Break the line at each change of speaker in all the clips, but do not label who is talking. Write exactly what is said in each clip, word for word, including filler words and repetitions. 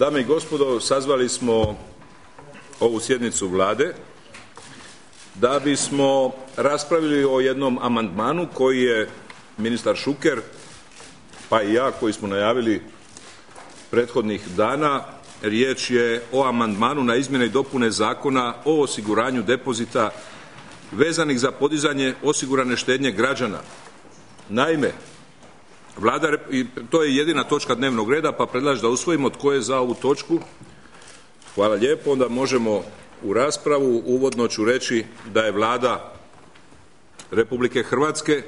Dame i gospodo, sazvali smo ovu sjednicu Vlade da bismo raspravili o jednom amandmanu koji je ministar Šuker, pa i ja koji smo najavili prethodnih dana. Riječ je o amandmanu na izmjene i dopune Zakona o osiguranju depozita vezanih za podizanje osigurane štednje građana. Naime, Vlada, i to je jedina točka dnevnog reda, pa predlažem da usvojimo. Tko je za ovu točku? Hvala lijepo. Onda možemo u raspravu. Uvodno ću reći da je Vlada Republike Hrvatske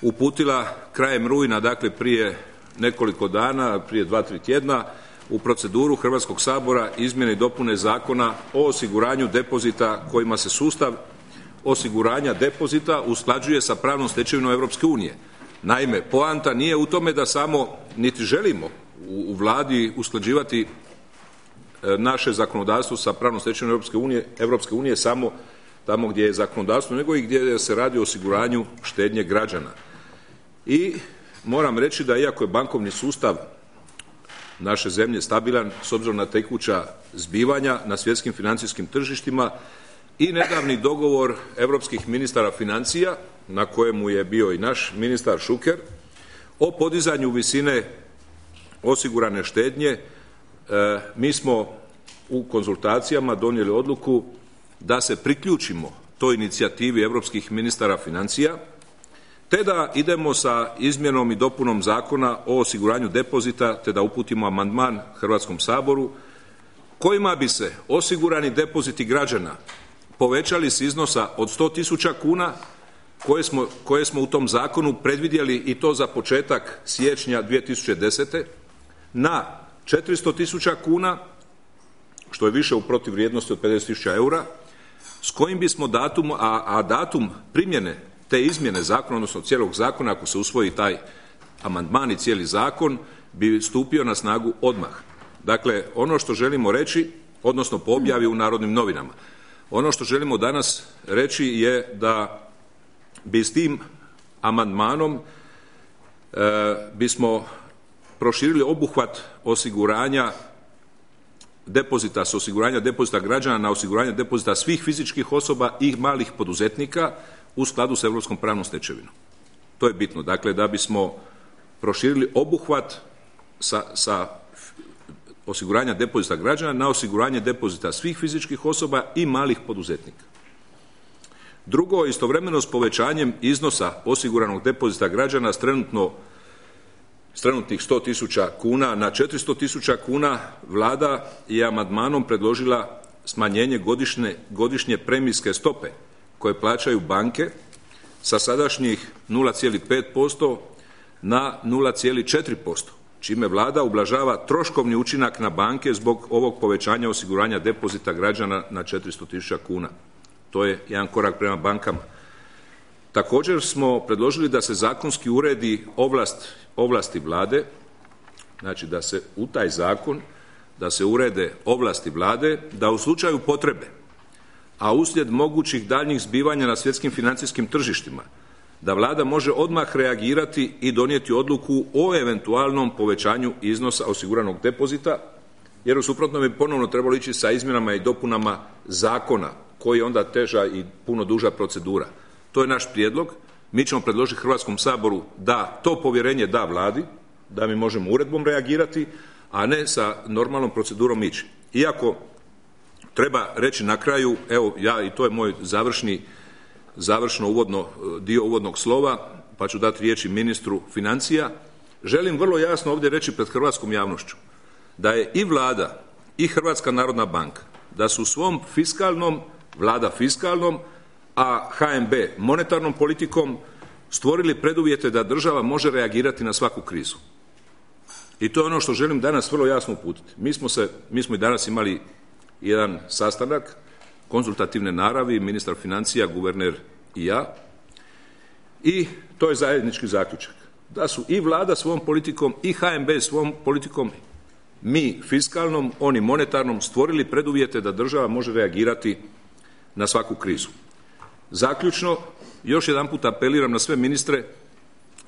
uputila krajem rujna, dakle prije nekoliko dana, prije dva, tri tjedna, u proceduru Hrvatskog sabora izmjene i dopune Zakona o osiguranju depozita kojima se sustav osiguranja depozita usklađuje sa pravnom stečevinom Europske unije. Naime, poanta nije u tome da samo, niti želimo u, u Vladi usklađivati e, naše zakonodavstvo sa pravnom stečevinom Europske unije, Europske unije samo tamo gdje je zakonodavstvo, nego i gdje se radi o osiguranju štednje građana. I moram reći da iako je bankovni sustav naše zemlje stabilan s obzirom na tekuća zbivanja na svjetskim financijskim tržištima i nedavni dogovor europskih ministara financija, na kojemu je bio i naš ministar Šuker, o podizanju visine osigurane štednje, e, mi smo u konzultacijama donijeli odluku da se priključimo toj inicijativi europskih ministara financija, te da idemo sa izmjenom i dopunom Zakona o osiguranju depozita, te da uputimo amandman Hrvatskom saboru kojima bi se osigurani depoziti građana povećali s iznosa od sto tisuća kuna koje smo, koje smo u tom zakonu predvidjeli, i to za početak siječnja dvije tisuće desete. na četiristo tisuća kuna, što je više u protuvrijednosti od pedeset tisuća eura, s kojim bismo datum, a, a datum primjene te izmjene zakona, odnosno cijelog zakona, ako se usvoji taj amandman i cijeli zakon, bi stupio na snagu odmah. Dakle, ono što želimo reći, odnosno po objavi u Narodnim novinama, ono što želimo danas reći je da bi s tim amandmanom e, bismo proširili obuhvat osiguranja depozita, s osiguranja depozita građana na osiguranje depozita svih fizičkih osoba i malih poduzetnika u skladu s europskom pravnom stečevinom. To je bitno. Dakle, da bismo proširili obuhvat sa, sa osiguranja depozita građana na osiguranje depozita svih fizičkih osoba i malih poduzetnika. Drugo, istovremeno s povećanjem iznosa osiguranog depozita građana s trenutno s trenutnih sto tisuća kuna na četiristo tisuća kuna, Vlada je amandmanom predložila smanjenje godišnje, godišnje premijske stope koje plaćaju banke sa sadašnjih nula zarez pet posto na nula zarez četiri posto, čime Vlada ublažava troškovni učinak na banke zbog ovog povećanja osiguranja depozita građana na četiristo tisuća kuna. To je jedan korak prema bankama. Također smo predložili da se zakonski uredi ovlast, ovlasti Vlade, znači da se u taj zakon, da se urede ovlasti Vlade, da u slučaju potrebe, a uslijed mogućih daljnjih zbivanja na svjetskim financijskim tržištima, da Vlada može odmah reagirati i donijeti odluku o eventualnom povećanju iznosa osiguranog depozita, jer u suprotnom bi ponovno trebalo ići sa izmjenama i dopunama zakona, koji je onda teža i puno duža procedura. To je naš prijedlog. Mi ćemo predložiti Hrvatskom saboru da to povjerenje da Vladi, da mi možemo uredbom reagirati, a ne sa normalnom procedurom ići. Iako treba reći na kraju, evo ja, i to je moj završni, završno uvodno, dio uvodnog slova, pa ću dati riječi ministru financija, želim vrlo jasno ovdje reći pred hrvatskom javnošću da je i Vlada i Hrvatska narodna banka, da su u svom fiskalnom, Vlada fiskalnom, a H N B monetarnom politikom stvorili preduvjete da država može reagirati na svaku krizu. I to je ono što želim danas vrlo jasno uputiti. Mi smo, se, mi smo i danas imali jedan sastanak konzultativne naravi, ministar financija, guverner i ja, i to je zajednički zaključak. Da su i Vlada svojom politikom i H N B svojom politikom, mi fiskalnom, oni monetarnom, stvorili preduvjete da država može reagirati na svaku krizu. Zaključno, još jedanput apeliram na sve ministre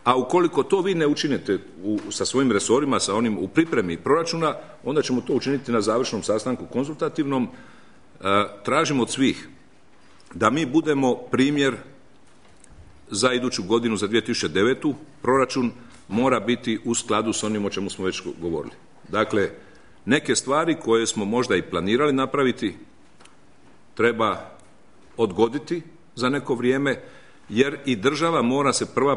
a ukoliko to vi ne učinite u, sa svojim resorima, sa onim u pripremi proračuna, onda ćemo to učiniti na završnom sastanku konzultativnom. E, tražimo od svih da mi budemo primjer za iduću godinu, za dvije tisuće devetu. Proračun mora biti u skladu s onim o čemu smo već govorili. Dakle, neke stvari koje smo možda i planirali napraviti treba odgoditi za neko vrijeme, jer i država mora se prva,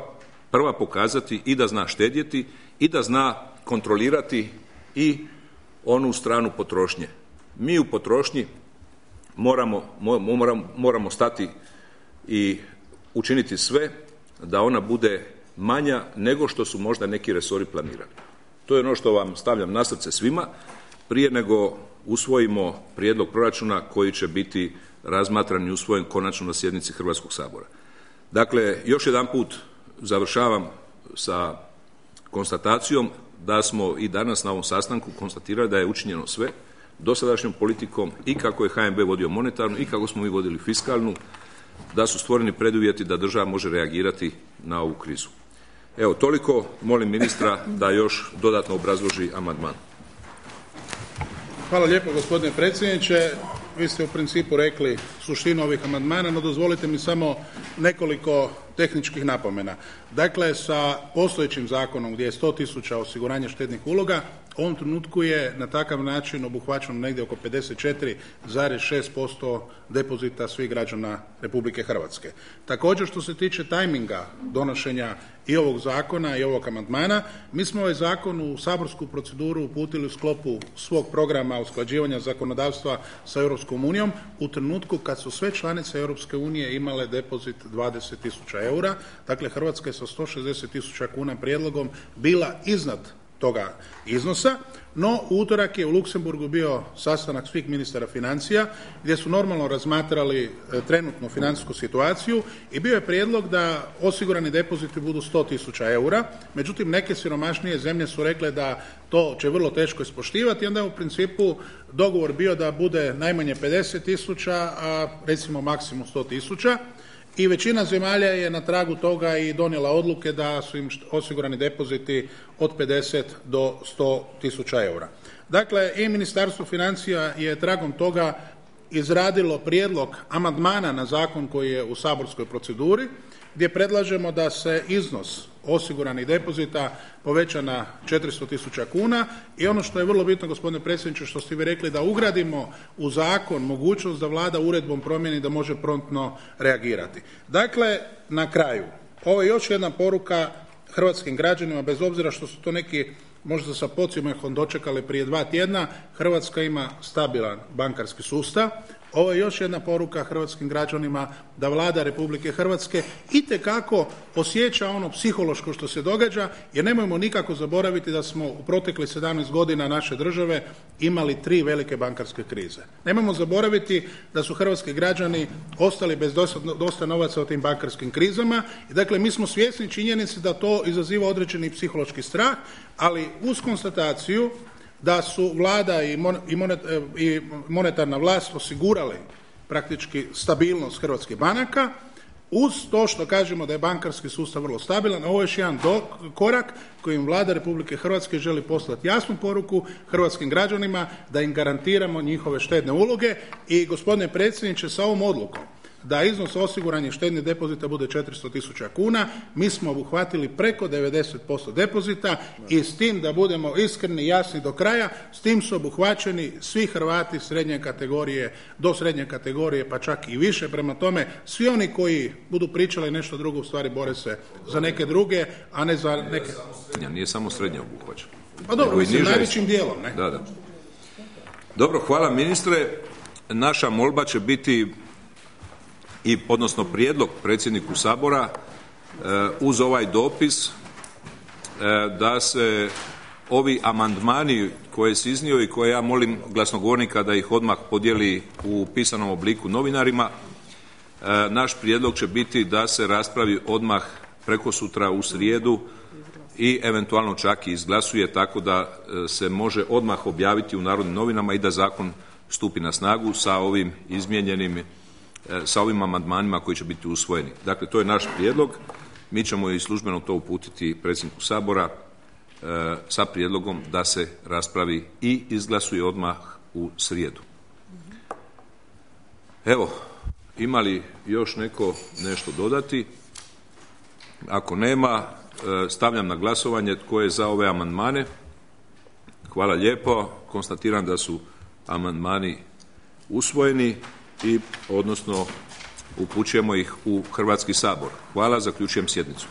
prva pokazati i da zna štedjeti i da zna kontrolirati i onu stranu potrošnje. Mi u potrošnji moramo, moramo, moramo stati i učiniti sve da ona bude manja nego što su možda neki resori planirali. To je ono što vam stavljam na srce svima prije nego usvojimo prijedlog proračuna koji će biti razmatran i usvojen konačno na sjednici Hrvatskog sabora. Dakle, još jedan put završavam sa konstatacijom da smo i danas na ovom sastanku konstatirali da je učinjeno sve dosadašnjom politikom i kako je H N B vodio monetarnu i kako smo mi vodili fiskalnu, da su stvoreni preduvjeti da država može reagirati na ovu krizu. Evo, toliko. Molim ministra da još dodatno obrazloži amandman.
Hvala lijepo, gospodine predsjedniče. Vi ste u principu rekli suštinu ovih amandmana, no dozvolite mi samo nekoliko tehničkih napomena. Dakle, sa postojećim zakonom gdje je sto tisuća osiguranja štednih uloga, u ovom trenutku je na takav način obuhvaćeno negdje oko pedeset četiri zarez šest posto depozita svih građana Republike Hrvatske. Također, što se tiče tajminga donošenja i ovog zakona i ovog amandmana, mi smo ovaj zakon u saborsku proceduru uputili u sklopu svog programa usklađivanja zakonodavstva sa Europskom unijom u trenutku kad su sve članice Europske unije imale depozit dvadeset tisuća eura. Dakle, Hrvatska je sa sto šezdeset tisuća kuna prijedlogom bila iznad toga iznosa, no u utorak je u Luksemburgu bio sastanak svih ministara financija gdje su normalno razmatrali e, trenutnu financijsku situaciju i bio je prijedlog da osigurani depoziti budu sto tisuća eura, međutim neke siromašnije zemlje su rekle da to će vrlo teško ispoštivati i onda je u principu dogovor bio da bude najmanje pedeset tisuća, a recimo maksimum sto tisuća. I većina zemalja je na tragu toga i donijela odluke da su im osigurani depoziti od pedeset do sto tisuća eura. Dakle, i Ministarstvo financija je tragom toga izradilo prijedlog amandmana na zakon koji je u saborskoj proceduri, gdje predlažemo da se iznos osiguranih depozita poveća na četiristo tisuća kuna i ono što je vrlo bitno, gospodine predsjedniče, što ste vi rekli, da ugradimo u zakon mogućnost da Vlada uredbom promijeni da može promptno reagirati. Dakle, na kraju, ovo je još jedna poruka hrvatskim građanima, bez obzira što su to neki možda sa podsmjehom dočekali prije dva tjedna, Hrvatska ima stabilan bankarski sustav. Ovo je još jedna poruka hrvatskim građanima da Vlada Republike Hrvatske itekako osjeća ono psihološko što se događa, jer nemojmo nikako zaboraviti da smo u proteklih sedamnaest godina naše države imali tri velike bankarske krize. Nemojmo zaboraviti da su hrvatski građani ostali bez dosta, dosta novaca u tim bankarskim krizama i dakle mi smo svjesni činjenice da to izaziva određeni psihološki strah, ali uz konstataciju da su vlada i monetarna vlast osigurali praktički stabilnost hrvatskih banaka, uz to što kažemo da je bankarski sustav vrlo stabilan. Ovo je još jedan do, korak kojim Vlada Republike Hrvatske želi poslati jasnu poruku hrvatskim građanima da im garantiramo njihove štedne uloge. I gospodine predsjedniče, sa ovom odlukom da iznos osiguranih štednih depozita bude četiristo tisuća kuna, mi smo obuhvatili preko devedeset posto depozita i s tim, da budemo iskreni i jasni do kraja, s tim su obuhvaćeni svi Hrvati srednje kategorije, do srednje kategorije pa čak i više. Prema tome, svi oni koji budu pričali nešto drugo u stvari bore se za neke druge, a ne za neke...
Nije samo srednje obuhvaćen.
Pa dobro, mislim, najvećim dijelom, ne?
Da, da. Dobro, hvala ministre. Naša molba će biti i odnosno prijedlog predsjedniku Sabora uz ovaj dopis da se ovi amandmani koje si iznio i koje ja molim glasnogovornika da ih odmah podijeli u pisanom obliku novinarima, naš prijedlog će biti da se raspravi odmah prekosutra u srijedu i eventualno čak i izglasuje tako da se može odmah objaviti u Narodnim novinama i da zakon stupi na snagu sa ovim izmijenjenim sa ovim amandmanima koji će biti usvojeni. Dakle, to je naš prijedlog mi ćemo i službeno to uputiti predsjedniku Sabora e, sa prijedlogom da se raspravi i izglasuje odmah u srijedu. Evo, ima li još neko nešto dodati? Ako nema, e, stavljam na glasovanje tko je za ove amandmane. Hvala lijepo. Konstatiram da su amandmani usvojeni i odnosno upućujemo ih u Hrvatski sabor. Hvala, zaključujem sjednicu.